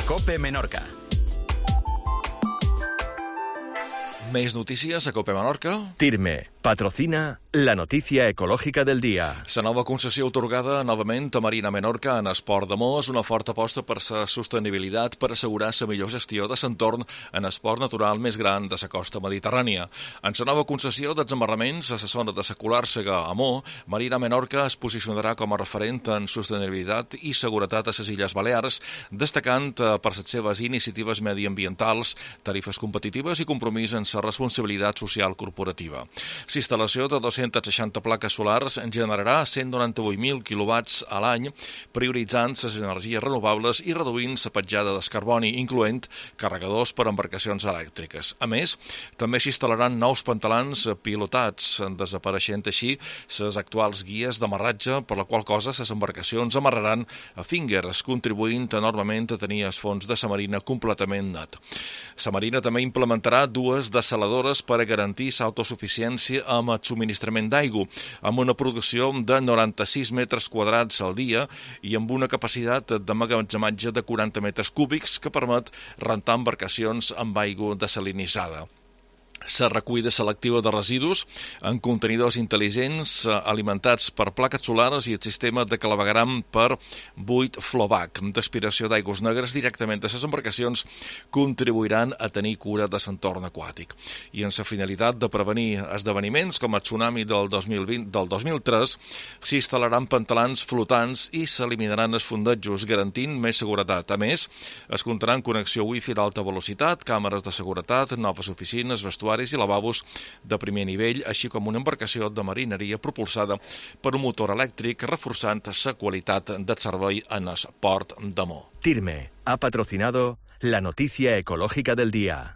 COPE Menorca. Més notícies a COPE Menorca. TIRME patrocina la notícia ecològica del dia. La nova concessió atorgada novament a Marina Menorca en Esport de Mo és una forta aposta per la sostenibilitat per assegurar la millor gestió de l'entorn en esport natural més gran de la costa mediterrània. En la nova concessió d'examarraments a la zona de la Colàrsega a Mo, Marina Menorca es posicionarà com a referent en sostenibilitat i seguretat a les Illes Balears, destacant per les seves iniciatives mediambientals, tarifes competitives i compromís en la responsabilitat social corporativa. La instal·lació de 260 plaques solars generarà 198.000 quilowatts a l'any, prioritzant les energies renovables i reduint la petjada de carboni, incloent carregadors per a embarcacions elèctriques. A més, també s'instal·laran nous pantalans pilotats, desapareixent així les actuals guies d'amarratge, per la qual cosa les embarcacions amarraran a fingers, contribuint enormement a tenir el fons de la marina completament net. La marina també implementarà dues dessaladores per a garantir l'autosuficiència amb el subministrament d'aigua, amb una producció de 96 metres quadrats al dia i amb una capacitat d'emmagatzematge de 40 metres cúbics que permet rentar embarcacions amb aigua desalinitzada. La recollida selectiva de residus en contenidors intel·ligents alimentats per plaques solars i el sistema de clavegram per buit flowback d'aspiració d'aigües negres directament a les embarcacions contribuiran a tenir cura de l'entorn aquàtic. I en la finalitat de prevenir esdeveniments com el tsunami del 2003, s'instal·laran pantalans flotants i s'eliminaran els fondejos, garantint més seguretat. A més, es comptarà amb connexió wifi d'alta velocitat, càmeres de seguretat, noves oficines, vestuaris i lavabos de primer nivell, així com una embarcació de marineria propulsada per un motor elèctric, reforçant la qualitat del servei en el port de Mo. TIRME ha patrocinado la noticia ecológica del día.